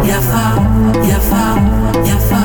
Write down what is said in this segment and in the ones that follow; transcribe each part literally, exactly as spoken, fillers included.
Yafa, yafa, yafa,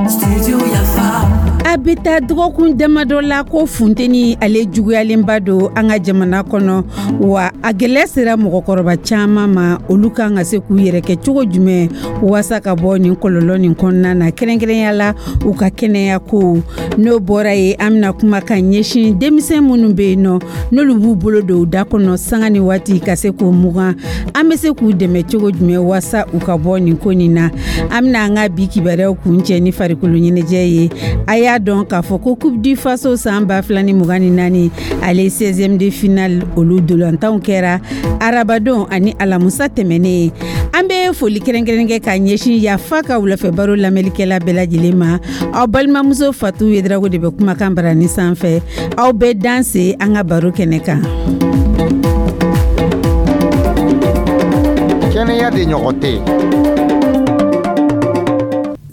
studio Yafa. A bɛ taa dɔgɔkun damadɔ la ko funteni ale juguyalenba don an ka jamana kɔnɔ, wa a gɛlɛya sera mɔgɔkɔrɔba caman ma. Olu kan ka se k'u yɛrɛ kɛ cogo jumɛn waasa ka bɔ nin kɔlɔlɔ nin kɔnɔna na, kɛrɛnkɛrɛnya la u ka kɛnɛya ko? N'o bɔra yen, an bɛna kuma ka ɲɛsin denmisɛn minnu bɛ yen nɔ, n'olu b'u bolo don u da kɔnɔ sanga ni waati ka se k'o mugan. An bɛ se k'u dɛmɛ cogo jumɛn waasa u ka bɔ nin ko nin na? An bɛna an ka bi kibaruyaw kuncɛ ni farikolo ɲɛnajɛ ye. A y'a dɔn k'a fɔ ko Coupe du Faso san ba fila ni mugan ni naani, ale seizième de finale, olu dolantanw kɛra arabadon ani alamusa tɛmɛnen. An bɛ foli kɛrɛnkɛrɛn kɛ ka ɲɛsin Yafa ka wulafɛ baro lamɛnlikɛla bɛɛ lajɛlen ma. Aw balimamuso Fatu Yedrago de bɛ kumakan barani sanfɛ. Aw bɛɛ danse an ka baro kɛnɛ kan. Kɛnɛya de ɲɔgɔn tɛ.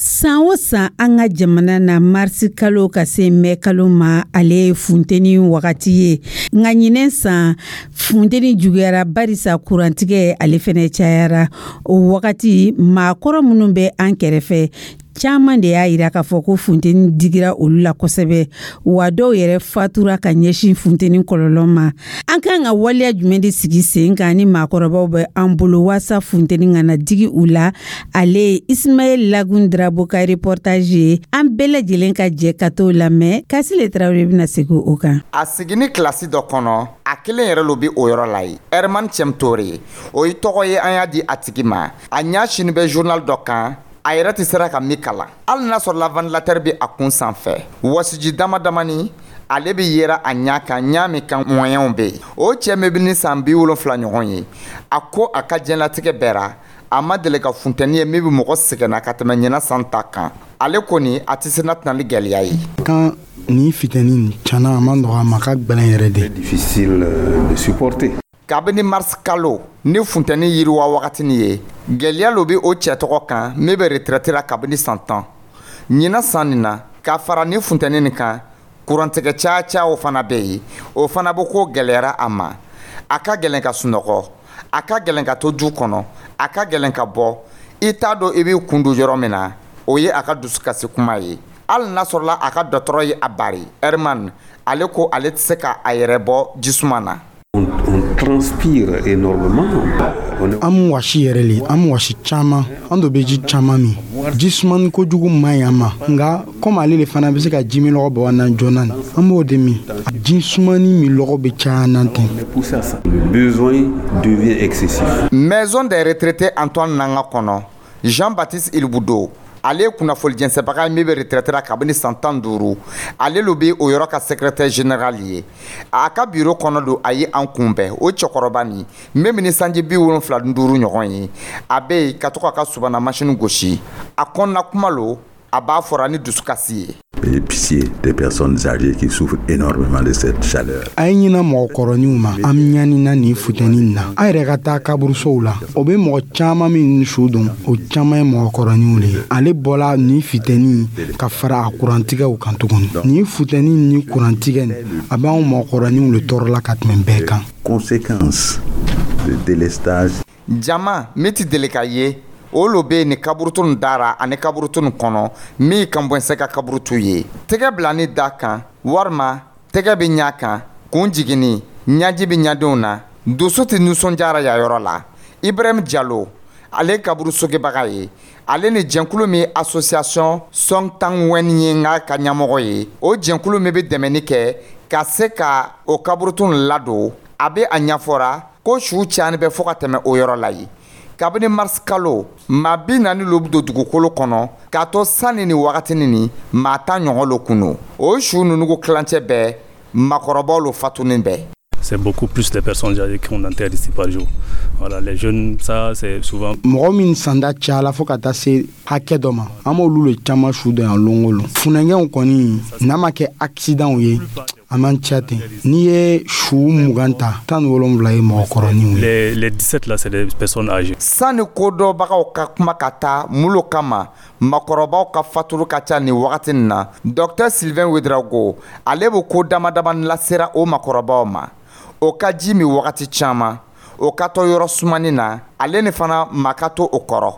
San o san, an ka jamana na, marisi kalo ka se mɛ kalo ma, ale ye funteni wagati ye. Nka ɲinɛ san, funteni juguyara barisa kurantigɛ ale fɛnɛ cayara. O wagati, maakɔrɔ minnu bɛ an kɛrɛfɛ caman de y'a yira k'a fɔ ko funteni digira olu la kosɛbɛ, wa dɔw yɛrɛ fatura ka ɲɛsin funteni kɔlɔlɔ ma. An kan ka waleya jumɛn de sigi sen kan ni maakɔrɔbaw bɛ an bolo waasa funteni kana digi u la? Ale ye Ismaɛl Lagun Drabo ka reportage ye. An bɛɛ lajɛlen ka jɛ ka t'o lamɛn. Kasile Tarawele bɛna segin o kan. A sigini kilasi dɔ kɔnɔ, a kelen yɛrɛ lo bi o yɔrɔ la ye. Herman Cɛmtore, o ye tɔgɔ ye an y'a di a tigi ma. A ɲa sini bɛ journal dɔ kan, a yɛrɛ tɛ sera ka min kalan, hali n'a sɔrɔla ventilateur bɛ a kun sanfɛ. Wɔsiji dama damani ale bɛ yera a ɲa kan, ɲa min kan moyenw bɛ yen. O cɛ min bɛ ni san bi wolonfila ɲɔgɔn ye, a ko a ka diɲɛlatigɛ bɛɛ, a ma deli ka funtɛni ye min bɛ mɔgɔ sɛgɛnna ka tɛmɛ ɲinan san ta kan. Ale kɔni, a tɛ se n'a tɛna ni gɛlɛya ye. Kan ni funteni tiɲɛna, a ma nɔgɔ, a ma ka gɛlɛn yɛrɛ de. Difficile de supporter. Kabini mars kalo ni funtɛni yiriwa wagatini ye, gwɛlɛya lo be o cɛ tɔgɔ kan min bɛ retraite la kabini san tan. Ɲinan san nin na, ka fara ni funtɛni nin kan, kurantigɛ caya caya o fana bɛ yen, o fana bɛ ko gwɛlɛyara a ma. A ka gɛlɛn ka sunɔgɔ, a ka gɛlɛn ka to du kɔnɔ, a ka gɛlɛn ka bɔ, i t'a dɔn i b'i kun don yɔrɔ min na. O ye a ka dusukasi kuma ye, hali n'a sɔrɔla a ka dɔgɔtɔrɔ ye a bari. Herman, ale ko ale tɛ se ka a yɛrɛ bɔ jisuma na. On, on transpire énormément. On est An mu wasi yɛrɛ le, an mu wasi caman, an do bɛ ji caman min. Ji sumani kojugu man ɲi an ma, nka komi ale de fana bɛ se ka ji min lɔgɔ bɔ an na joona nin, an b'o de min. Ji sumani min lɔgɔ bɛ caya an na ten. On est poussé à ça. Le besoin devient excessif. Maison des retraités Antoine Nanga kɔnɔ, Jean-Baptiste Ilbudo, ale ye kunnafoni jɛnsɛbaga ye min bɛ retraite la kabini san tan duuru. Ale lo bɛ o yɔrɔ ka secrétaire général ye. A ka bureau kɔnɔ don a ye an kunbɛn. O cɛkɔrɔba nin min bɛ ni sanji bi wolonfila ni duuru ɲɔgɔn ye, a bɛ yen ka to k'a ka subana masini gosi. A kɔnɔna kuma lo, a b'a fɔra ni dusukasi ye. Et pitié des personnes âgées qui souffrent énormément de cette chaleur. A ye ɲina mɔgɔkɔrɔninw ma. An ɲanina nin futeni nin na. An yɛrɛ ka taa kaburusow la, o be mɔgɔ caaman min su don, o caaman ye mɔgɔkɔrɔninw le ye. Ale bɔla nin futeni ka fara a kurantigɛw kan tuguni. Nin futeni ni kurantigɛ nin, a b'anw mɔgɔkɔrɔninw le tɔɔrɔla ka tɛmɛ bɛɛ kan. Conséquence de délestage. Jama min tɛ deli ka ye, o lo bɛ nin kaburutu nin dara ani kaburutu nin kɔnɔ min kan bɔnsɛ ka kaburutu ye. Tɛgɛ bila ni da kan walima tɛgɛ bɛ ɲa kan, kun jiginni, ɲaji bɛ ɲadenw na, dusu tɛ nisɔndiyara yan yɔrɔ la. Ibrahim Jalo, ale ye kaburu sogebaga ye. Ale ni jɛnkulu min association Sɔntang Wɛn ye n'a ka ɲɛmɔgɔ ye, o jɛnkulu min bɛ dɛmɛni kɛ ka se ka o kaburutu nin ladon, a bɛ a ɲɛfɔra ko su cayani bɛ fɔ ka tɛmɛ o yɔrɔ la yen. Kabini mars kalo, maa bi naani lo bɛ don dugukolo kɔnɔ, k'a to sanni ni wagatinin nin, maa tan ɲɔgɔn lo kun don. O su ninnu ko tilancɛ bɛɛ maakɔrɔbaw lo fatunin bɛɛ. C'est beaucoup plus les personnes âgées qu'on enterre ici par jour. Voilà, les jeunes, ça c'est souvent. Mɔgɔ min sanda cayala fo ka taa se hakɛ dɔ ma, an b'olu le caman su dɔn yan lon o lon. Funɛgɛnw kɔni, n'a ma kɛ accidentw ye, a man ca ten. N'i ye su mugan ta, tan ni wolonwula ye mɔgɔkɔrɔninw ye. Les, les dix-sept là, c'est des personnes âgées. Sanni kodɔnbagaw ka kuma ka taa mun lo kama makɔrɔbaw ka faturu ka ca nin wagati nin na, docteur Sylvain Ouedraogo, ale bɛ ko dama damani lasera o makɔrɔbaw ma. O ka ji min wagati caman, o ka to yɔrɔ sumanin na, ale ni fana ma ka to o kɔrɔ.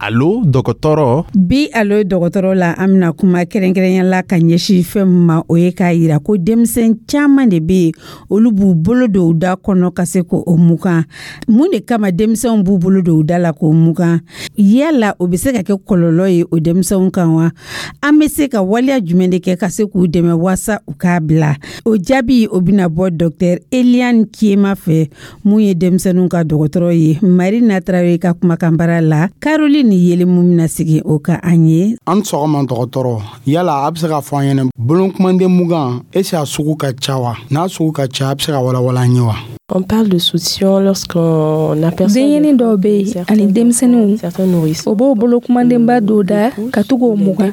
Alo dɔgɔtɔrɔ. Bi alo dɔgɔtɔrɔ la, an bɛna kuma kɛrɛnkɛrɛnya la ka ɲɛsin fɛn min ma, o ye k'a yira ko denmisɛn caman de bɛ yen, olu b'u bolo don u da kɔnɔ ka se k'o mugan. Mun de kama denmisɛnw b'u bolo don u da la k'o mugan? Yala o bɛ se ka kɛ kɔlɔlɔ ye o denmisɛnw kan wa? An bɛ se ka waleya jumɛn de kɛ ka se k'u dɛmɛ waasa u k'a bila? O jaabi o bɛna bɔ Docteur Eliane Kiema fɛ, mun ye denmisɛnninw ka dɔgɔtɔrɔ ye. Marina Traoré ka kumakan bara la, Caroline ni yeli mun bɛna sigi o ka an ye. An sɔgɔma dɔgɔtɔrɔ, yala a bɛ se k'a fɔ an ɲɛna bolonkumanden mugan, est-ce a sugu ka ca wa? N'a sugu ka ca, a bɛ se ka walawala an ye wa? On parle de soutien lorsqu'on aperçoit Denɲɛnin dɔw bɛ yen ani denmisɛnninw, o b'o bolo kumadenba dɔw da ka to k'o mugan.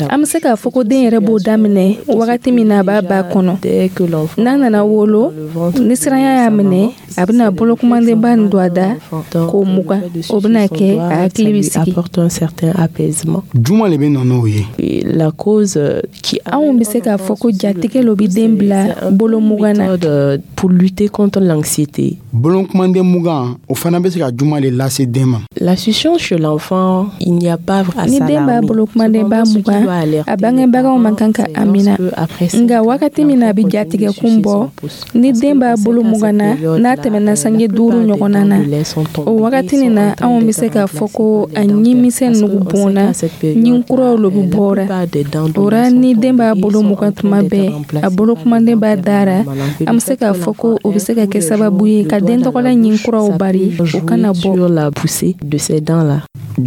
An bɛ se k'a fɔ ko den yɛrɛ b'o daminɛ wagati min na a b'a ba kɔnɔ. N'a nana wolo, ni siranya y'a minɛ, a bɛna bolo kumadenba nin don a da k'o mugan. O bɛna kɛ a hakili bɛ sigi. Juma de bɛ na n'o ye? La cause qui Anw bɛ se k'a fɔ ko jatigɛ lo bɛ den bila bolo mugan na. pour lutter contre l'anxiété. Bolonkumanden mugan, o fana bɛ se ka juma de lase den ma? La succion chez l'enfant, il n'y a pas à Ni den b'a bolo kumadenba mugan, a bangebagaw man kan ka a minɛ. Nka wagati min na a bɛ jatigɛ kun bɔ, ni den b'a bolo mugan na, n'a tɛmɛna sange duuru ɲɔgɔnna na, o wagati nin na, anw bɛ se k'a fɔ ko a ɲimisɛn nugu bɔnna, ɲin kuraw lo bɛ bɔra. O ra ni den b'a bolo mugan tuma bɛɛ, a bolo kumaden b'a dara, an bɛ se k'a fɔ ko o bɛ se ka kɛ sababu ye ka den tɔgɔla ɲin kuraw bari o kana bɔ. La poussée de ces dents-là.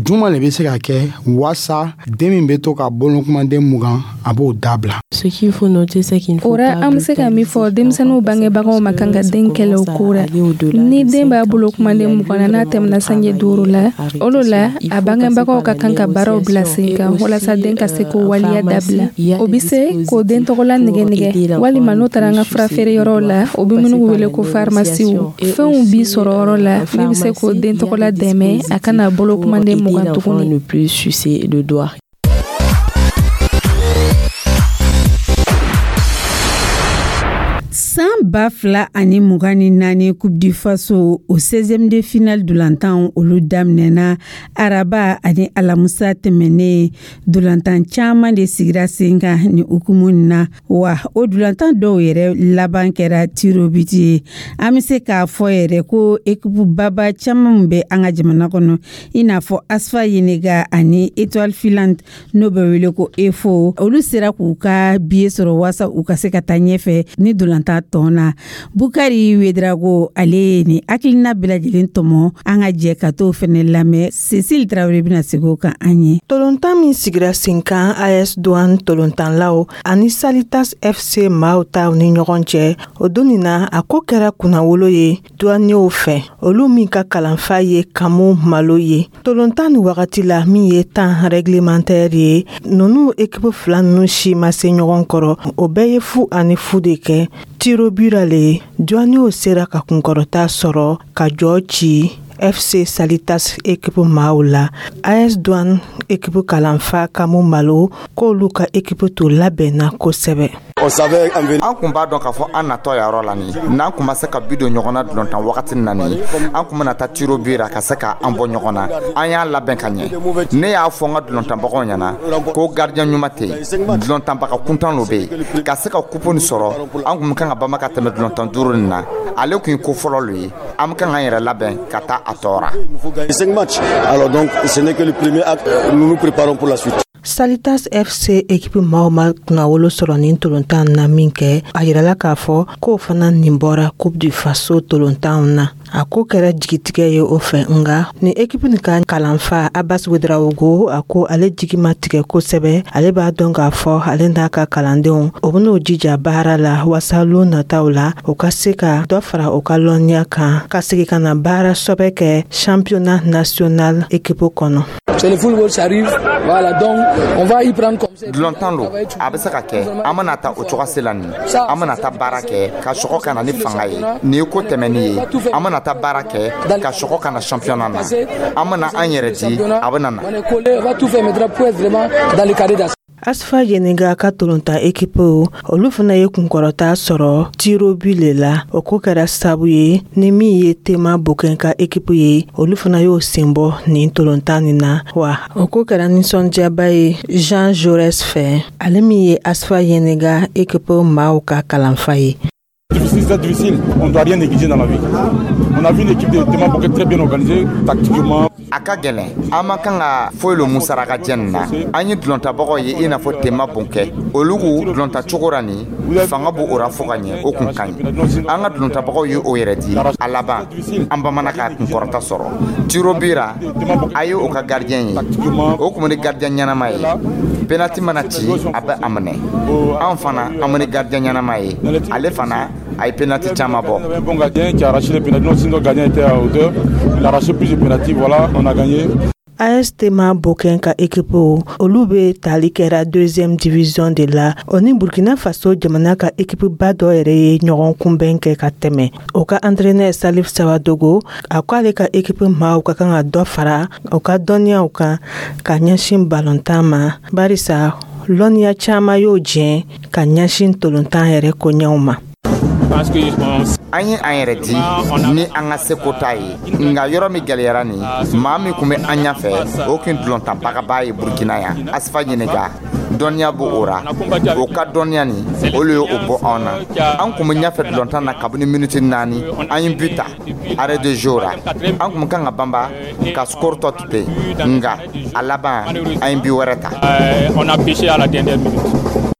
Juma de bɛ se ka kɛ waasa den min bɛ to ka bolonkumanden mugan, a b'o dabila? Ce qu'il faut noter, c'est qu'il ne faut O ra pas an bɛ se ka min fɔ, denmisɛnninw bangebagaw ma kan ka den kɛlɛ o ko ra. Ni den b'a bolo kumaden mugan na, n'a tɛmɛna sange duuru la, o de la a bangebagaw ka kan ka baaraw bila sen kan walasa den ka se k'o waleya dabila. O bɛ se k'o den tɔgɔla nɛgɛ nɛgɛ, walima n'o taara an ka fura feere yɔrɔw la, o bɛ minnu wele ko farimasiw. Fɛnw bi sɔrɔ yɔrɔ la min bɛ se k'o den tɔgɔla dɛmɛ a kana bolo kumaden mugan tuguni. Ne plus sucer le doigt. San ba fila ani mugan ni naani Coupe du Faso, o seizième de finale dolantan, olu daminɛna araba ani alamusa tɛmɛnen. Dolantan caman de sigira sen kan ni hukumu nin na, wa o dolantan dɔw yɛrɛ laban kɛra tirs au but ye. An bɛ se k'a fɔ yɛrɛ ko équipe baba caman bɛ an ka jamana kɔnɔ, i n'a fɔ ASFA Yenega ani Étoile Filante, n'o bɛ wele ko E F O, olu sera k'u ka billet sɔrɔ waasa u ka se ka taa ɲɛfɛ ni dolantan tɔn na. Bukari Wedrago, ale ye nin hakilina bɛɛ lajɛlen tɔmɔ, an ka jɛ ka t'o fɛnɛ lamɛn. Cecile Traoré bɛna segin o kan an ye. Tolontan min sigira sen kan, A S Douane tolontanlaw ani Salitas F C maaw taw ni ɲɔgɔn cɛ, o don nin na, a ko kɛra kunnawolo ye douaniers fɛ, olu min ka kalanfa ye Kamu Malo ye. Tolontan ni wagati la min ye temps réglementaire ye, ninnu équipe fila ninnu si ma se ɲɔgɔn kɔrɔ, o bɛɛ ye fu ani fu de kɛ. Tirs au but le, douaniers sera ka kunkɔrɔta sɔrɔ ka jɔ ci F C Salitas équipe maaw la. A S Douane équipe kalanfa Kamu Malo k'olu ka équipe to labɛnna kosɛbɛ. An kun b'a dɔn k'a fɔ an natɔ yɔrɔ la nin, n'an kun ma se ka bi don ɲɔgɔn na dulontan wagati na nin, an kun bɛna taa tirs au but ra ka se ka an bɔ ɲɔgɔn na. An y'a labɛn ka ɲɛ. Ne y'a fɔ n ka dulontanbagaw ɲɛna ko gardien ɲuman tɛ yen, dulontanbaga kuntan lo bɛ yen. Ka se ka coupe nin sɔrɔ, an kun kan ka bama ka tɛmɛ dulontan duuru nin na. Ale kun ye ko fɔlɔ lo ye. An bɛ kan k'an yɛrɛ labɛn ka taa a tɔ ra. Alors donc, ce n'est que le premier acte, nous nous préparons pour la suite. Salitas F C équipe maaw ma kunnawolo sɔrɔ nin tolontan na min kɛ, a yirala k'a fɔ k'o fana nin bɔra Coupe du Faso tolontanw na. A ko kɛra jigitigɛ ye o fɛ, nga ni équipe nin ka kalanfa Abbas Wedrawogo, a ko ale jigi ma tigɛ kosɛbɛ. Ale b'a dɔn k'a fɔ ale n'a ka kalandenw, o ben'o jija baara la waasa lon nataw la, o ka se ka dɔ fara o ka lɔnniya kan, ka segi ka na baara sɔbɛ kɛ championnat national équipe kɔnɔ. C'est le football, ça arrive. Voilà, donc on va y prendre comme ça. Dulontan lo, a bɛ se ka kɛ. An bɛna ta o cogoya la nin, an bɛna taa baara kɛ ka sɔgɔ ka na ni fanga ye. Nin ye ko tɛmɛni ye. An bɛna taa baara kɛ ka sɔgɔ ka na championnat na. An bɛna an yɛrɛ di, a bɛna na. On est collé, on va tout faire maintenant pour être vraiment dans le carré d'as. Asfa Yeniga ka tolontan ekipu, olu fana ye kunkɔrɔta sɔrɔ tirs au but le la. O ko kɛra sabu ye ni min ye Tema Bokɛn ka ekipu ye, olu fana y'o sen bɔ nin tolontan nin na. Wa o ko kɛra nisɔndiyaba ye Jean Jaurès fɛ, ale min ye Asfa Yeniga ekipu maaw ka kalanfa ye. Difficile, c'est difficile. On ne doit rien négliger dans la vie. On a vu une équipe de Tema Boké très bien organisée, tactiquement. A ka gɛlɛn, an man kan ka foyi lo musaraka jɛ nin na. An ye dulontabagaw ye i n'a fɔ Tema Bonkɛ, olu k'u dulonta cogo ra nin fanga b'o o ra fo ka ɲɛ. O kun ka ɲi, an ka dulontabagaw ye o yɛrɛ di. A laban, an bamana ka kunkɔrɔta sɔrɔ tirs au but ra. A ye o ka gardien ye, o kun ni gardien ɲɛnama ye. Penalty mana ci, a bɛ a minɛ. An fana, an bɛ ni gardien ɲɛnama ye, ale fana a ye penalty caman bɔ. Un bon gardien qui a arraché les pénaltys. Sinon, le gardien était à hauteur. Il a arraché plus de pénaltys. Voilà, on a gagné. A S Tema Bokɛn ka ekipu, olu be tali kɛra deuxième division de la. O ni Burkina Faso jamana ka ekipu ba dɔ yɛrɛ ye ɲɔgɔn kunbɛn kɛ ka tɛmɛ. O ka entraîneur Salif Sawadogo, a ko ale ka ekipu maaw ka kan ka dɔ fara o ka dɔnniyaw kan ka ɲɛsin balontan ma, barisa lɔnniya caaman y'o jɛn ka ɲɛsin tolontan yɛrɛ koɲɛw ma. An ye an yɛrɛ di ni an ka seko ta ye, nka yɔrɔ min gɛlɛyara nin, maa min kun bɛ an ɲɛfɛ, o kun dulontanbagaba ye Burukina yan, Asifa Ɲininka. Dɔnniya b'o o ra, o ka dɔnniya nin, olu ye o bɔ anw na. An kun bɛ ɲɛfɛ dulontan na kabini miniti naani, an ye but ta arrêt de jeu ra. An kun kan ka banba ka score tɔ to ten, nka a laban, an ye but wɛrɛ ta. On a pêché à la dernière minute.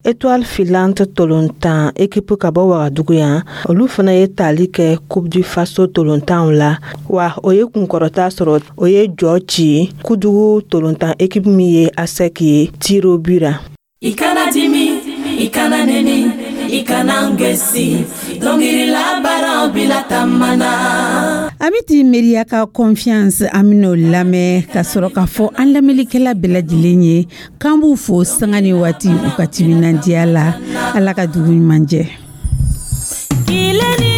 Étoile Filante tolontan ekipu ka bɔ Wagadugu yan, olu fana ye tali kɛ Coupe du Faso tolontanw la. Wa o ye kunkɔrɔta sɔrɔ, o ye jɔ ci Kudugu tolontan ekipu min ye ASEC ye tirs au but ra. I kana dimi, i kana neni, i kana gɛsi, dɔnkili labaaraw bila tamana. An bɛ ti Miiriya ka Confiance, an bɛn'o lamɛn ka sɔrɔ k'a fɔ an lamɛnlikɛla bɛɛ lajɛlen ye k'an b'u fo sanga ni waati u ka timinandiya la. Ala ka dugu ɲuman jɛ. Kile ni